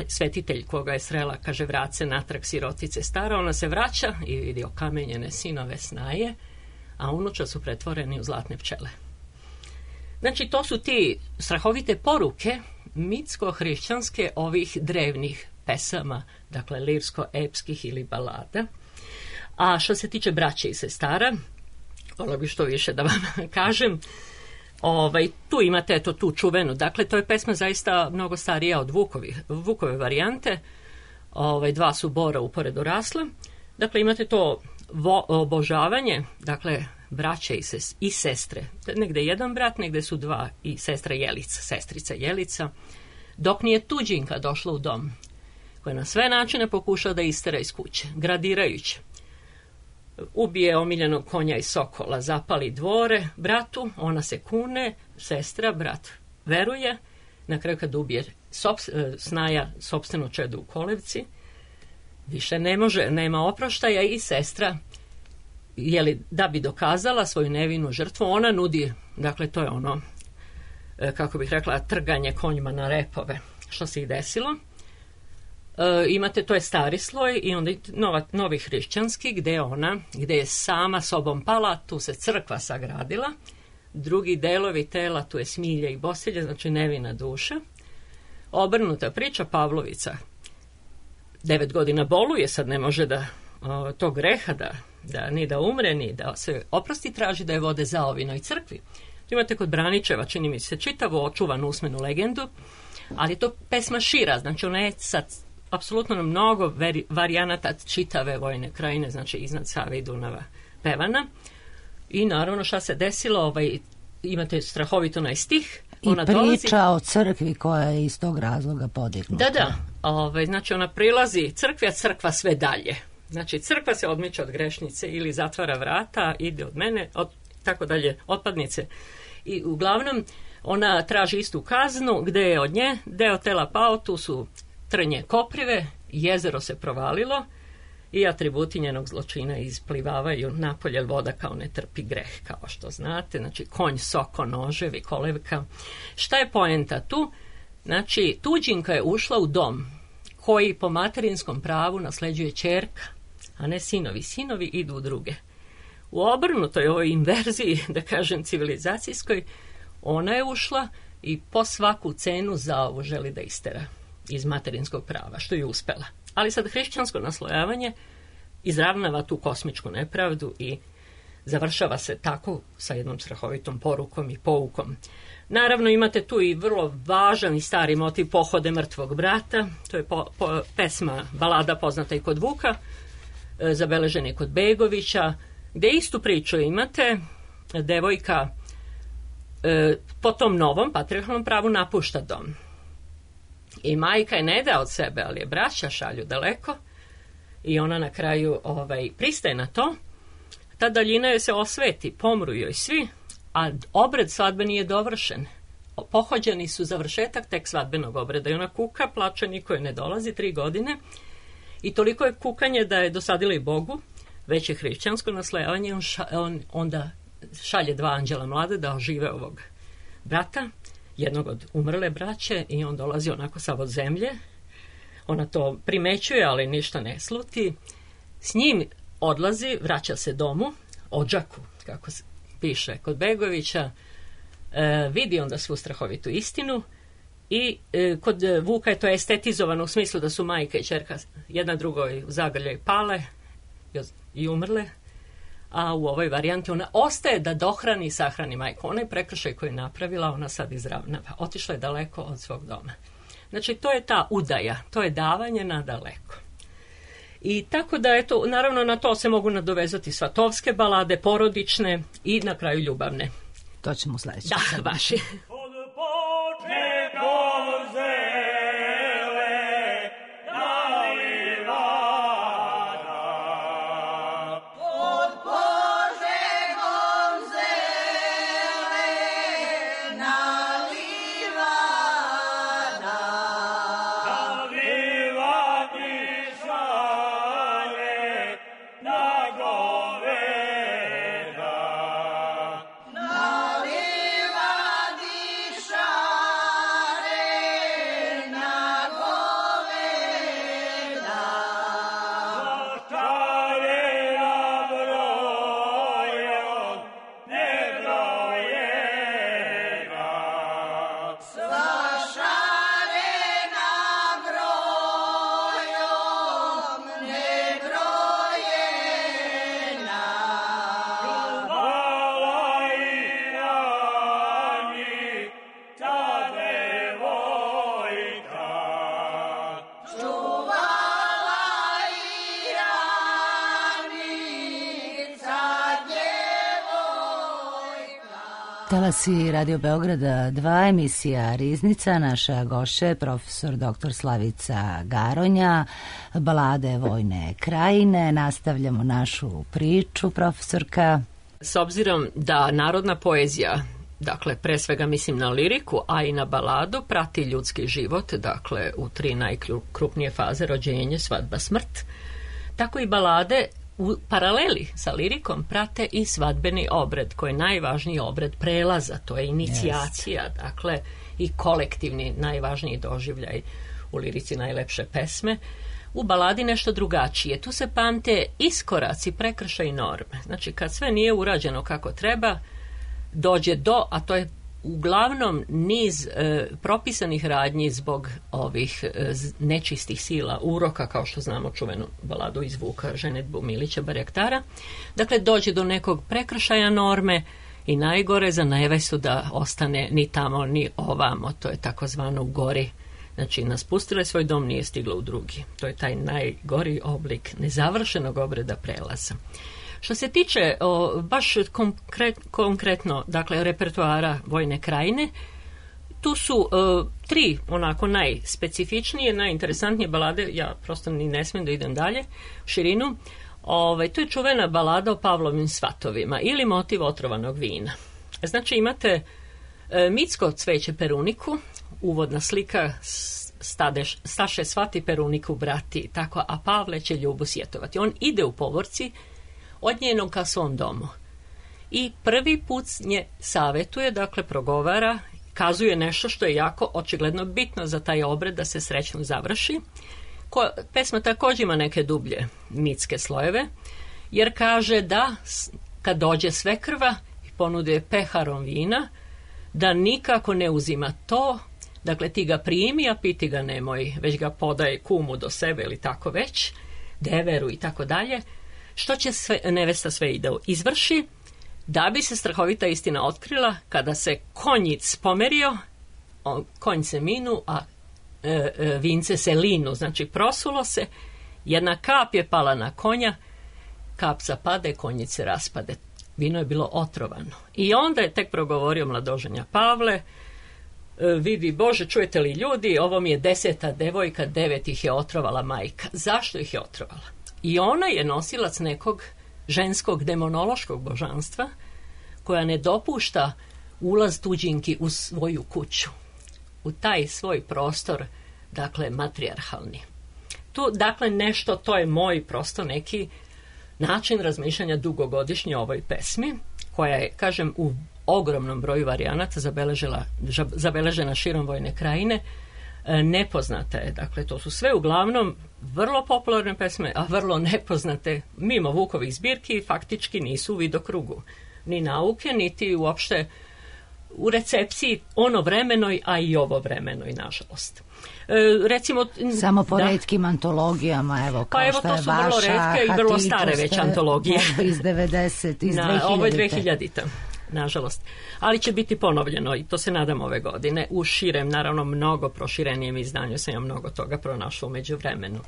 Speaker 6: svetitelj koga je srela, kaže, vrat se natrag sirotice stara, ona se vraća i vidi okamenjene sinove snaje, a unuča su pretvoreni u zlatne pčele. Znači, to su ti strahovite poruke mitsko-hrišćanske ovih drevnih pesama, dakle lirsko-epskih ili balada. A što se tiče braće i sestara, vola bi što više da vam kažem, tu imate tu čuvenu, dakle to je pesma zaista mnogo starija od Vukove varijante, dva su bora uporedo rasla, dakle imate to obožavanje, dakle braće i sestre, negde jedan brat, negde su dva i sestrica Jelica, dok nije tuđinka došla u dom, koja na sve načine pokušao da istera iz kuće, gradirajući. Ubije omiljenog konja i sokola, zapali dvore bratu, ona se kune, sestra, brat veruje, na kraju kad ubije snaja sopstveno čedo u kolevci, više ne može, nema oproštaja i sestra, da bi dokazala svoju nevinu žrtvu, ona nudi, dakle to je ono, kako bih rekla, trganje konjima na repove, što se i desilo. Imate, to je stari sloj i onda novi hrišćanski gde je sama sobom pala, tu se crkva sagradila, drugi delovi tela, tu je smilja i bosilje, znači nevina duša. Obrnuta priča, Pavlovica 9 godina boluje, sad ne može da tog greha ni da umre, ni da se oprosti, traži da je vode za ovinoj crkvi. Imate kod Braničeva, čini mi se, čitavo očuvanu usmenu legendu, ali je to pesma šira, znači ona je sad apsolutno na mnogo varijanata čitave vojne krajine, znači iznad Save i Dunava pevana. I naravno šta se desilo, imate strahovito stih.
Speaker 1: I priča o crkvi koja je iz tog razloga podignuta.
Speaker 6: Da. Znači ona prilazi crkvi, a crkva sve dalje. Znači crkva se odmiče od grešnice ili zatvara vrata, ide od mene, tako dalje, otpadnice. I uglavnom ona traži istu kaznu, gde je od nje deo tela pao, tu su trnje koprive, jezero se provalilo i atributi njenog zločina isplivavaju napolje, voda kao ne trpi greh, kao što znate, znači konj, soko, noževi, kolevka. Šta je poenta tu? Znači, tuđinka je ušla u dom koji po materinskom pravu nasleđuje ćerka, a ne sinovi. Sinovi idu u druge. U obrnutoj ovoj inverziji, da kažem civilizacijskoj, ona je ušla i po svaku cenu za ovo želi da istera iz materinskog prava, što je uspela. Ali sad hrišćansko naslojavanje izravnava tu kosmičku nepravdu i završava se tako sa jednom strahovitom porukom i poukom. Naravno imate tu i vrlo važan i stari motiv pohode mrtvog brata, to je pesma, balada poznata i kod Vuka, zabeležena i kod Begovića, gde istu priču imate, devojka po tom novom patrijarhalnom pravu napušta dom. I majka je ne da od sebe, ali je braća šalju daleko i ona na kraju pristaje na to. Ta daljina joj se osveti, pomru joj svi, a obred svadbe nije dovršen. Pohođeni su završetak tek svadbenog obreda i ona kuka, plače, niko joj ne dolazi 3 godine i toliko je kukanje da je dosadila i Bogu, već je hrišćansko naslojavanje, on onda šalje 2 anđela mlade da ožive ovog brata, jednog od umrle braće, i on dolazi onako sav od zemlje. Ona to primećuje, ali ništa ne sluti. S njim odlazi, vraća se domu, odžaku, kako se piše kod Begovića, vidi onda svu strahovitu istinu i kod Vuka je to estetizovano u smislu da su majka i ćerka jedna drugoj u zagrljaj pale i umrle, a u ovoj varijanti ona ostaje da dohrani i sahrani majku. Onaj prekršaj koji je napravila, ona sad izravnava. Otišla je daleko od svog doma. Znači, to je ta udaja, to je davanje na daleko. I tako da, eto, naravno na to se mogu nadovezati svatovske balade, porodične i na kraju ljubavne.
Speaker 1: To ćemo sledeći.
Speaker 6: Da, vaši.
Speaker 4: Nalivadi
Speaker 1: Talasi Radio Beograda 2, emisija Riznica, naša gošća je profesor dr. Slavica Garonja, balade Vojne krajine. Nastavljamo našu priču, profesorka.
Speaker 6: S obzirom da narodna poezija, dakle pre svega mislim na liriku, a i na baladu, prati ljudski život, dakle u 3 najkrupnije faze: rođenje, svadba, smrt, tako i balade u paraleli sa lirikom prate i svadbeni obred, koji je najvažniji obred prelaza, to je inicijacija, dakle i kolektivni najvažniji doživljaj, u lirici najlepše pesme. U baladi nešto drugačije, tu se pamte iskoraci, prekršaji, norme. Znači kad sve nije urađeno kako treba, dođe do, a to je uglavnom niz propisanih radnji zbog ovih nečistih sila, uroka, kao što znamo čuvenu baladu iz Vuka, ženidbu Milića Barjaktara. Dakle, dođe do nekog prekršaja norme i najgore za nevestu da ostane ni tamo ni ovamo, to je takozvano gori. Znači, naspustila je svoj dom, nije stigla u drugi. To je taj najgori oblik nezavršenog obreda prelaza. Što se tiče baš konkretno, dakle, repertoara Vojne krajine, tu su 3 onako najspecifičnije, najinteresantnije balade, ja prosto ni ne smijem da idem dalje, širinu. To je čuvena balada o Pavlovim svatovima ili motiv otrovanog vina. Znači, imate mitsko cveće Peruniku, uvodna slika: staše svati Peruniku brati, tako, a Pavle će ljubu sjetovati. On ide u povorci od njenog ka svom domu i prvi put nje savjetuje, dakle progovara, kazuje nešto što je jako očigledno bitno za taj obred da se srećno završi. Pesma također ima neke dublje mitske slojeve, jer kaže da kad dođe svekrva i ponuduje peharom vina, da nikako ne uzima to, dakle ti ga primi, a piti ga nemoj, već ga podaj kumu do sebe ili tako već, deveru i tako dalje. Što će nevesta sve i da izvrši, da bi se strahovita istina otkrila kada se konjic pomerio, konj se minu, a vince se linu, znači prosulo se, jedna kap je pala na konja, kap zapade, konjic se raspade. Vino je bilo otrovano. I onda je tek progovorio mladoženja Pavle: vidi Bože, čujete li ljudi, ovo mi je 10. devojka, 9 ih je otrovala majka. Zašto ih je otrovala? I ona je nosilac nekog ženskog demonološkog božanstva koja ne dopušta ulaz tuđinki u svoju kuću, u taj svoj prostor, dakle matrijarhalni. Tu, dakle, nešto, to je moj prosto neki način razmišljanja dugogodišnje o ovoj pesmi, koja je, kažem, u ogromnom broju varijanata zabeležena širom Vojne krajine. Nepoznata je, dakle, to su sve uglavnom vrlo popularne pesme, a vrlo nepoznate, mimo Vukovih zbirki, faktički nisu u vidokrugu ni nauke, niti uopšte u recepciji ono vremenoj, a i ovo vremenoj, nažalost. Recimo,
Speaker 1: samo po retkim antologijama, evo, kao
Speaker 6: pa evo,
Speaker 1: što je
Speaker 6: to su vrlo retke i vrlo stare već antologije.
Speaker 1: Iz 90, iz 2000.
Speaker 6: Ovo je 2000-ta. Nažalost. Ali će biti ponovljeno i to se nadam ove godine u širem, naravno mnogo proširenijem izdanju, sam ja mnogo toga pronašla u međuvremenu.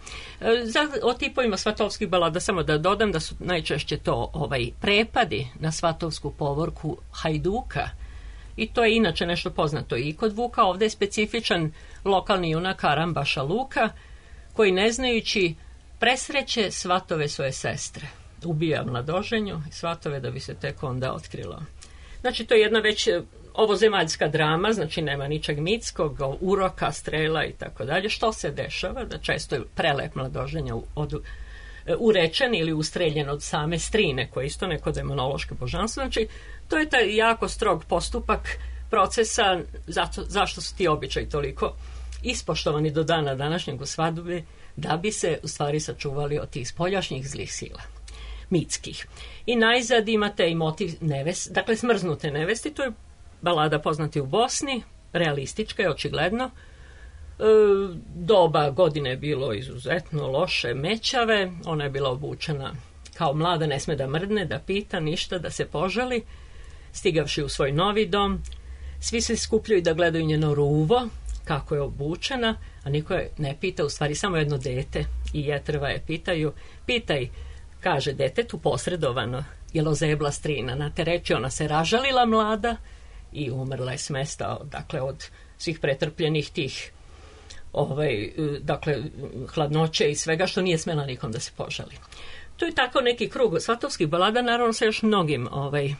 Speaker 6: O tipovima svatovskih balada samo da dodam da su najčešće to prepadi na svatovsku povorku Hajduka, i to je inače nešto poznato i kod Vuka. Ovdje je specifičan lokalni junak Arambaša Luka, koji ne znajući presreće svatove svoje sestre. Ubija mladoženju i svatove da bi se tek onda otkrilo. Znači, to je jedna već ovozemaljska drama, znači nema ničeg mitskog, uroka, strela i tako dalje. Što se dešava? Da često je prelep mladoženja urečen ili ustreljen od same strine, koje je isto neko demonološko božanstvo. Znači, to je taj jako strog postupak procesa, zašto su ti običaji toliko ispoštovani do dana današnjeg u svadbi, da bi se u stvari sačuvali od tih spoljašnjih zlih sila mitskih. I najzad imate i motiv dakle smrznute nevesti, to je balada poznati u Bosni, realistička je očigledno. Doba godine je bilo izuzetno loše, mećave, ona je bila obučena kao mlada, ne sme da mrdne, da pita ništa, da se požali. Stigavši u svoj novi dom, svi se skupljaju da gledaju njeno ruvo, kako je obučena, a niko je ne pita, u stvari samo jedno dete i jetrva je pitaju: pitaj, kaže detetu posredovano, jel ozebla strina. Na te reči ona se ražalila mlada i umrla je s mesta, dakle, od svih pretrpljenih tih dakle, hladnoće i svega što nije smela nikom da se požali. To je tako neki krug svatovskih balada, naravno sa još mnogim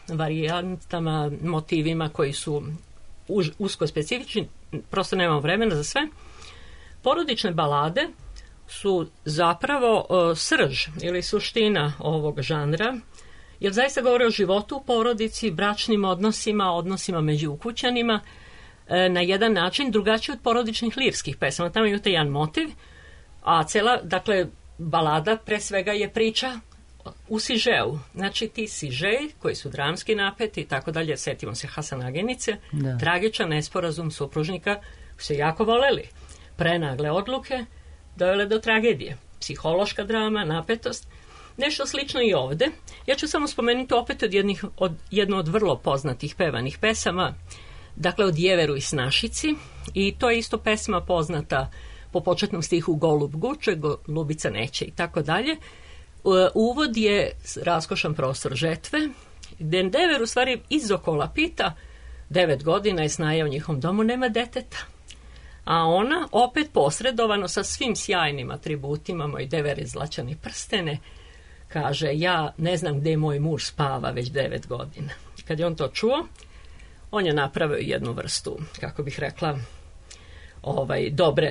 Speaker 6: varijantama, motivima koji su usko specifični, prosto nemamo vremena za sve. Porodične balade su zapravo srž ili suština ovog žanra, jer zaista govore o životu u porodici, bračnim odnosima, odnosima među ukućanima, na jedan način drugačiji od porodičnih lirskih pesama. Tamo imate jedan motiv, a cela, dakle, balada pre svega je priča u sižeu. Znači, ti sižeji koji su dramski napeti i tako dalje, setimo se Hasanagenice, tragičan nesporazum supružnika koji su jako voleli. Prenagle odluke dovele do tragedije. Psihološka drama, napetost. Nešto slično i ovde. Ja ću samo spomenuti opet jednu od vrlo poznatih pevanih pesama, dakle od Jeveru i Snašici, i to je isto pesma poznata po početnom stihu Golub guče, Golubica neće i tako dalje. Uvod je raskošan prostor žetve, gde Dever u stvari iz okola pita, 9 godina je snaja u njihovom domu, nema deteta. A ona, opet posredovano sa svim sjajnim atributima, moj Dever je zlačani prstene, kaže, ja ne znam gde moj muž spava već 9 godina. Kad je on to čuo, on je napravio jednu vrstu, kako bih rekla,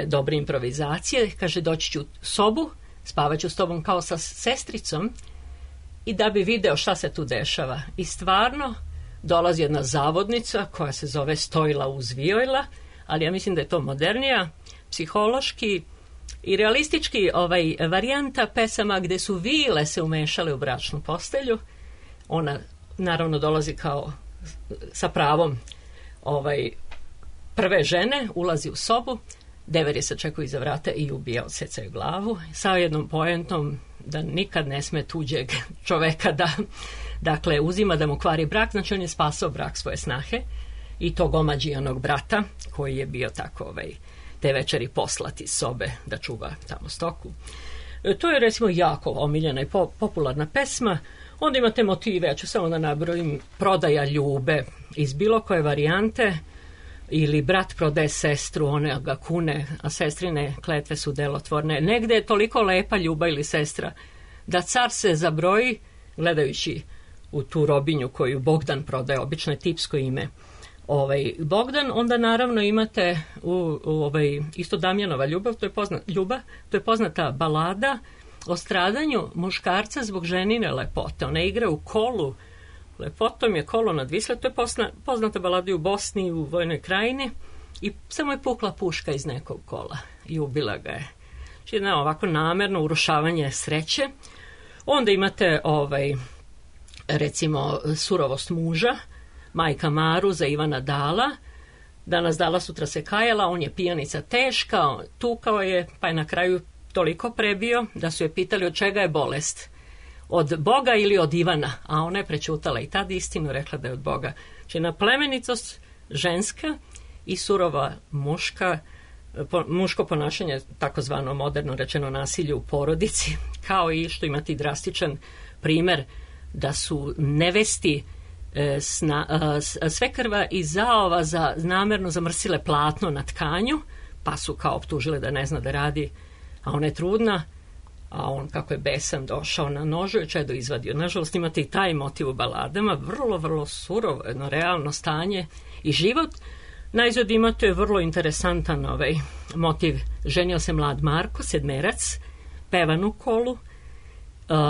Speaker 6: dobre improvizacije. Kaže, doći ću u sobu, spavat ću s tobom kao sa sestricom i da bi video šta se tu dešava. I stvarno dolazi jedna zavodnica koja se zove Stojla uz Vijojla, ali ja mislim da je to modernija, psihološki i realistički varijanta pesama gde su vile se umešale u bračnu postelju. Ona naravno dolazi kao sa pravom prve žene, ulazi u sobu, Dever je sačekao iza vrata i ubija, odsecaju glavu, sa jednom poentom da nikad ne sme tuđeg čoveka da, dakle, uzima da mu kvari brak. Znači, on je spasao brak svoje snahe i tog omađijanog brata koji je bio tako te večeri poslat iz sobe da čuva tamo stoku. To je recimo jako omiljena i popularna pesma. Onda imate motive, ja ću samo da nabrojim, prodaja ljube iz bilo koje varijante, ili brat prodaje sestru, one ga kune, a sestrine kletve su delotvorne. Negde je toliko lepa ljubav ili sestra da car se zabroji, gledajući u tu robinju koju Bogdan prodaje, obično je tipsko ime Bogdan. Onda naravno imate isto Damjanova ljubav, to je poznata balada o stradanju muškarca zbog ženine lepote. Ona igra u kolu, lepotom je kolo nad Visle, to je poznata balada u Bosni, u Vojnoj krajini, i samo je pukla puška iz nekog kola i ubila ga je. Znači, ovako namerno urušavanje sreće. Onda imate recimo Surovost muža, Majka Maru za Ivana Dala. Danas Dala, sutra se kajala, on je pijanica teška, tukao je, pa je na kraju toliko prebio da su je pitali od čega je bolest. Od Boga ili od Ivana? A ona je prećutala i tad istinu, rekla da je od Boga. Znači, na plemenitost ženska i surova muško ponašanje, takozvano moderno rečeno nasilje u porodici, kao i što imate drastičan primer da su nevesti svekrva i zaova namerno zamrsile platno na tkanju, pa su kao optužile da ne zna da radi, a ona je trudna, a on, kako je besan, došao na nožu i čedo izvadio. Nažalost, imate i taj motiv u baladama, vrlo, vrlo surovo, jedno realno stanje i život. Najzad imate vrlo interesantan motiv. Ženio se mlad Marko, sedmerac, pevan u kolu,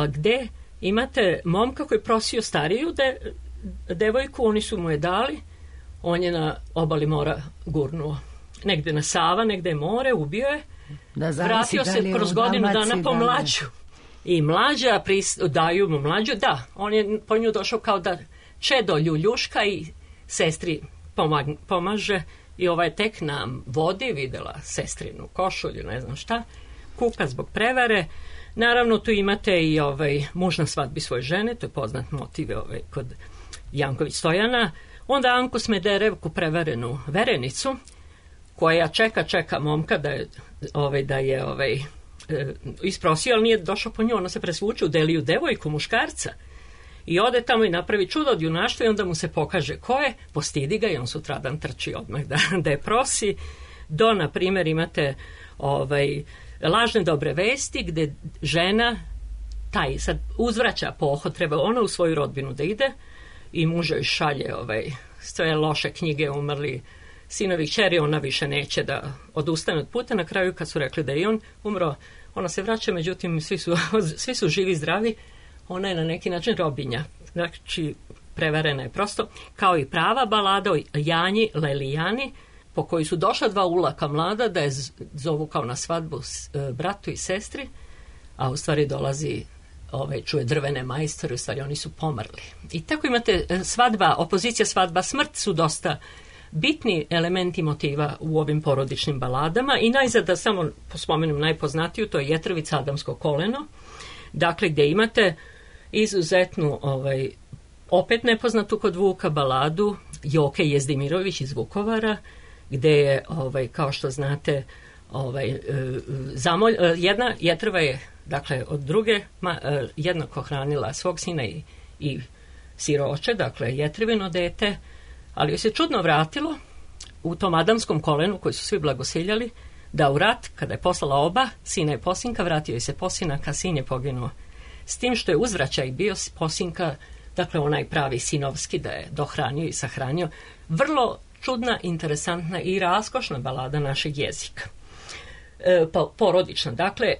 Speaker 6: gde imate momka koji je prosio stariju devojku, oni su mu je dali, on je na obali mora gurnuo. Negde na Sava, negde je more, ubio je, vratio se kroz godinu dana po mlađu. I mlađa, daju mu mlađu, da, on je po nju došao kao da čedo ljuljuška i sestri pomaže, i je tek na vodi videla sestrinu košulju, ne znam šta, kuka zbog prevare. Naravno, tu imate i muž na svadbi svoje žene, to je poznat motiv kod Janković Stojana. Onda Anku Smederevku, prevarenu verenicu, koja čeka momka da je isprosio, ali nije došao po nju, ona se presvuče u deliju devojku muškarca I ode tamo i napravi čudo od junaštva i onda mu se pokaže ko je, postidi ga i on sutradan trči odmah da je prosi. Do, na primjer, imate lažne dobre vesti gdje žena taj sad uzvraća pohod, treba ona u svoju rodbinu da ide i muž joj šalje sve loše knjige, umrli sinovi, kćeri, ona više neće da odustane od puta. Na kraju kad su rekli da je on umro, ona se vraća, međutim svi su živi, zdravi, ona je na neki način robinja, znači prevarena je prosto, kao i prava balada o Janji Lelijani, po kojoj su došla dva ulaka mlada da je zovu kao na svadbu bratu i sestri, a u stvari dolazi čuje drvene majstore, u stvari oni su pomrli. I tako imate svadba, opozicija, svadba, smrt su dosta bitni elementi motiva u ovim porodičnim baladama. I najzad da samo spomenem najpoznatiju, to je Jetrovica Adamsko koleno, dakle gdje imate izuzetnu opet nepoznatu kod Vuka baladu Joke Jezdimirović iz Vukovara, gdje je kao što znate jedna Jetrova je dakle od druge jednako hranila svog sina i siroče, dakle Jetrivino dete, ali joj se čudno vratilo u tom Adamskom kolenu koji su svi blagosiljali, da u rat, kada je poslala oba sina i posinka, vratio joj se posinak, a sin je poginuo. S tim što je uzvraćaj bio posinka, dakle onaj pravi sinovski, da je dohranio i sahranio. Vrlo čudna, interesantna i raskošna balada našeg jezika. Porodična. Dakle,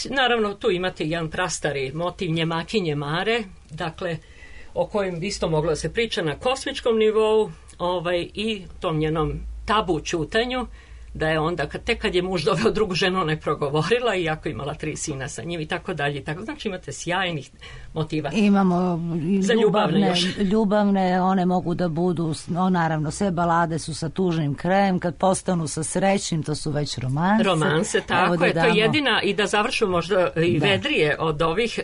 Speaker 6: naravno tu imate jedan prastari motiv Njemakinje Mare, dakle, o kojem bi isto moglo da se priča na kosmičkom nivou i tom njenom tabu ćutanju, da je onda, tek kad je muž doveo drugu ženu, ona je progovorila, iako imala 3 sina sa njim i tako dalje. Znači imate sjajnih motiva.
Speaker 1: Imamo ljubavne, one mogu da budu, naravno, sve balade su sa tužnim krajem, kad postanu sa srećnim, to su već romanse.
Speaker 6: Romanse, tako je, to je jedina, i da završu možda i vedrije od ovih,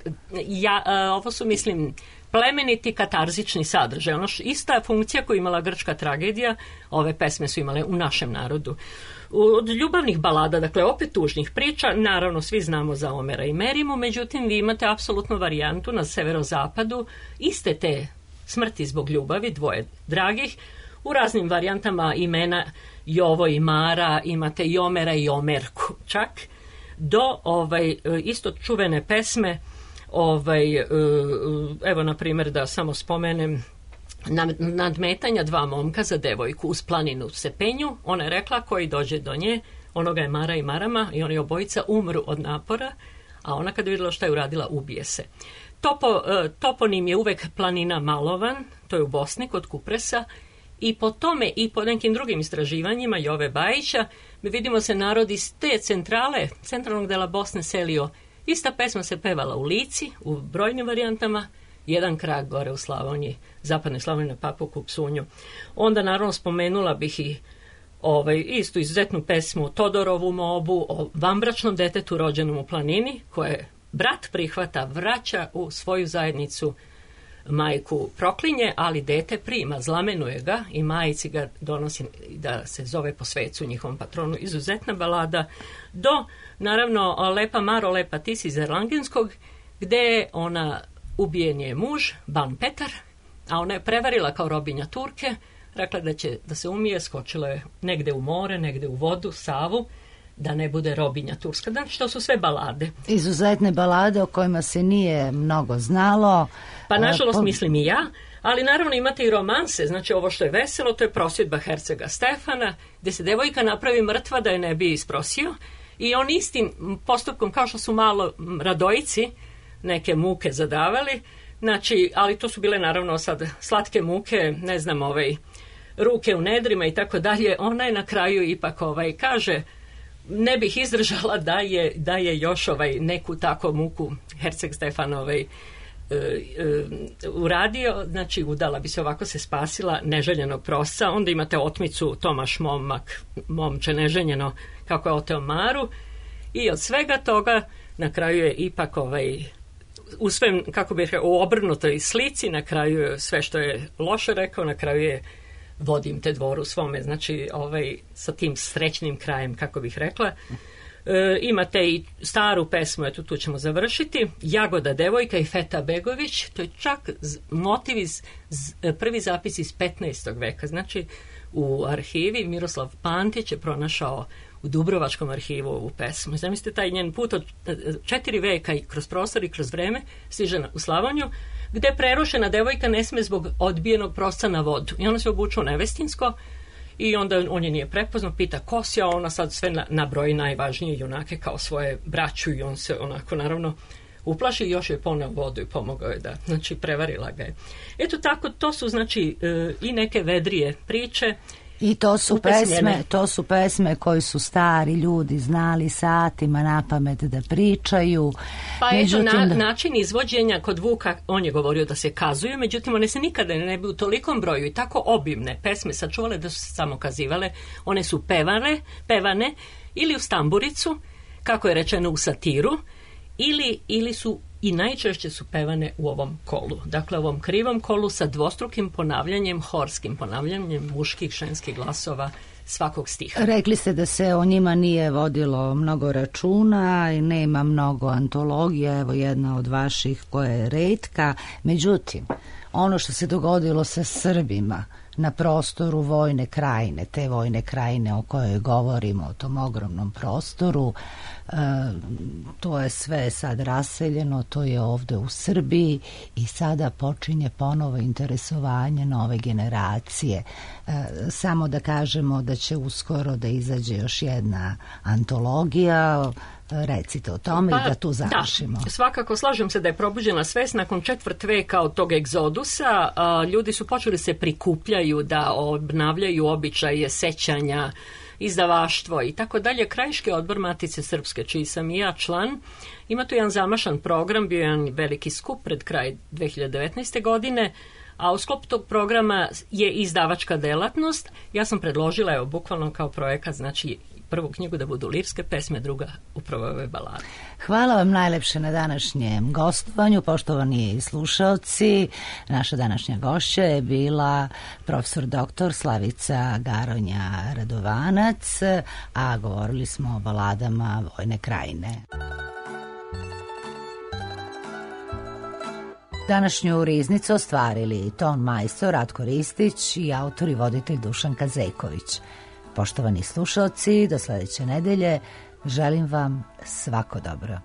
Speaker 6: ovo su, mislim, plemeniti katarzični sadržaj. Ista funkcija koju imala grčka tragedija, ove pesme su imale u našem narodu. Od ljubavnih balada, dakle opet tužnih priča, naravno svi znamo za Omera i Merimu, međutim vi imate apsolutnu varijantu na severozapadu, iste te smrti zbog ljubavi, dvoje dragih, u raznim varijantama imena Jovo i Mara, imate i Omera i Omerku čak, do isto čuvene pesme, evo na primjer da samo spomenem, nadmetanja 2 momka za devojku uz planinu se penju. Ona je rekla koji dođe do nje, onoga je Mara i Marama i oni obojica umru od napora, a ona kad je vidjela šta je uradila, ubije se. Toponim je uvek planina Malovan, to je u Bosni kod Kupresa, i po tome i po nekim drugim istraživanjima Jove Bajića mi vidimo se narod iz te centralnog dela Bosne selio. Ista pesma se pevala u Lici, u brojnim varijantama, jedan krak gore u Slavoniji, zapadnoj Slavoniji na Papuku, Psunju. Onda naravno spomenula bih i istu izuzetnu pesmu Todorovu mobu o vanbračnom detetu rođenom u planini, koje brat prihvata, vraća u svoju zajednicu, majku proklinje, ali dete prima, zlamenuje ga i majici ga donosi da se zove po svecu njihovom patronu. Izuzetna balada do, naravno, Lepa Maro, lepa ti si iz Erlangenskog, gde ona ubijen je muž, Ban Petar, a ona je prevarila kao robinja Turke, rekla da će da se umije, skočila je negde u more, negde u vodu, Savu, da ne bude robinja turska. Znači, to su sve balade.
Speaker 1: Izuzetne balade o kojima se nije mnogo znalo.
Speaker 6: Pa, nažalost, mislim i ja, ali naravno imate i romanse. Znači, ovo što je veselo, to je prosvjedba hercega Stefana, gdje se devojka napravi mrtva da je ne bi isprosio i on istim postupkom, kao što su malo Radojici neke muke zadavali, znači, ali to su bile naravno sad slatke muke, ne znam, ruke u nedrima i tako dalje. Ona je na kraju ipak kaže, ne bih izdržala da je još neku tako muku herceg Stefan uradio, znači udala bi se, ovako se spasila neželjenog prosca. Onda imate otmicu Tomaš momak, momče neženjeno, kako je oteo Maru, i od svega toga na kraju je ipak u svem, kako bih rekao, u obrnutoj slici, na kraju je sve što je loše rekao, na kraju je vodim te dvoru svome, znači sa tim srećnim krajem, kako bih rekla. Imate i staru pesmu, eto tu ćemo završiti, Jagoda devojka i Feta Begović, to je čak motiv prvi zapis iz 15. veka, znači u arhivi Miroslav Pantić je pronašao u Dubrovačkom arhivu ovu pesmu. Zamislite taj njen put od 4 veka i kroz prostor i kroz vreme stiže u Slavoniju, gde prerušena devojka ne sme zbog odbijenog prosca na vodu. I ona se obuče u nevestinsko i onda on je nije prepoznao, pita ko si, a ona sad sve nabroji najvažnije junake kao svoje braću i on se onako naravno uplaši i još je poneo vodu i pomogao je da, znači prevarila ga je. Eto tako, to su znači i neke vedrije priče.
Speaker 1: I to su pesme koji su stari ljudi znali satima na pamet da pričaju.
Speaker 6: Pa način izvođenja kod Vuka, on je govorio da se kazuju, međutim one se nikada ne bi u tolikom broju i tako obimne pesme sačuvale da su se samo kazivale. One su pevane ili u stamburicu, kako je rečeno u satiru, ili su i najčešće su pevane u ovom kolu. Dakle, ovom krivom kolu sa dvostrukim ponavljanjem, horskim ponavljanjem muških, ženskih glasova svakog stiha.
Speaker 1: Rekli ste da se o njima nije vodilo mnogo računa i nema mnogo antologija, evo jedna od vaših koja je retka. Međutim, ono što se dogodilo sa Srbima na prostoru Vojne Krajine, te Vojne Krajine o kojoj govorimo, o tom ogromnom prostoru, to je sve sad raseljeno, to je ovde u Srbiji i sada počinje ponovo interesovanje nove generacije. Samo da kažemo da će uskoro da izađe još jedna antologija, recite o tome i da tu završimo.
Speaker 6: Da, svakako slažem se da je probuđena svest nakon 4 veka od tog egzodusa. Ljudi su počeli se prikupljaju da obnavljaju običaje, sećanja, izdavaštvo i tako dalje. Krajiški odbor Matice Srpske, čiji sam i ja član, ima tu jedan zamašan program, bio je jedan veliki skup pred kraj 2019. godine, a u sklopu tog programa je izdavačka delatnost. Ja sam predložila, evo, bukvalno kao projekat, znači prvu knjigu da budu lirske pesme, druga upravo ove balade.
Speaker 1: Hvala vam najlepše na današnjem gostovanju, poštovani slušaoci. Naša današnja gošća je bila profesor dr. Slavica Garonja Radovanac, a govorili smo o baladama Vojne Krajine. Današnju riznicu ostvarili ton majstor Ratko Ristić i autor i voditelj Dušan Kazeković. Poštovani slušalci, do sledeće nedelje želim vam svako dobro.